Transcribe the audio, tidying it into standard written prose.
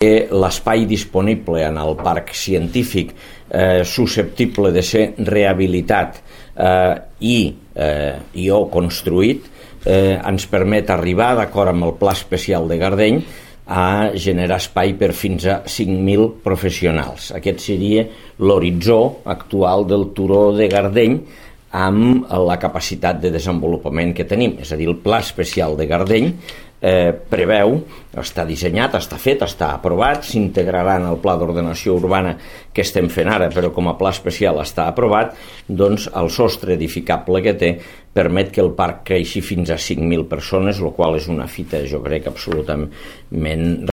l'espai disponible en el parc científic susceptible de ser rehabilitat o construït ens permet arribar, d'acord amb el Pla Especial de Gardeny, a generar espai per fins a 5.000 professionals. Aquest seria l'horitzó actual del turó de Gardeny amb la capacitat de desenvolupament que tenim. És a dir, el Pla Especial de Gardeny preveu, està dissenyat, està fet, està aprovat, s'integrarà en el Pla d'Ordenació Urbana que estem fent ara, però com a pla especial està aprovat, doncs el sostre edificable que té permet que el parc creixi fins a 5.000 persones, el qual és una fita, jo crec, absolutament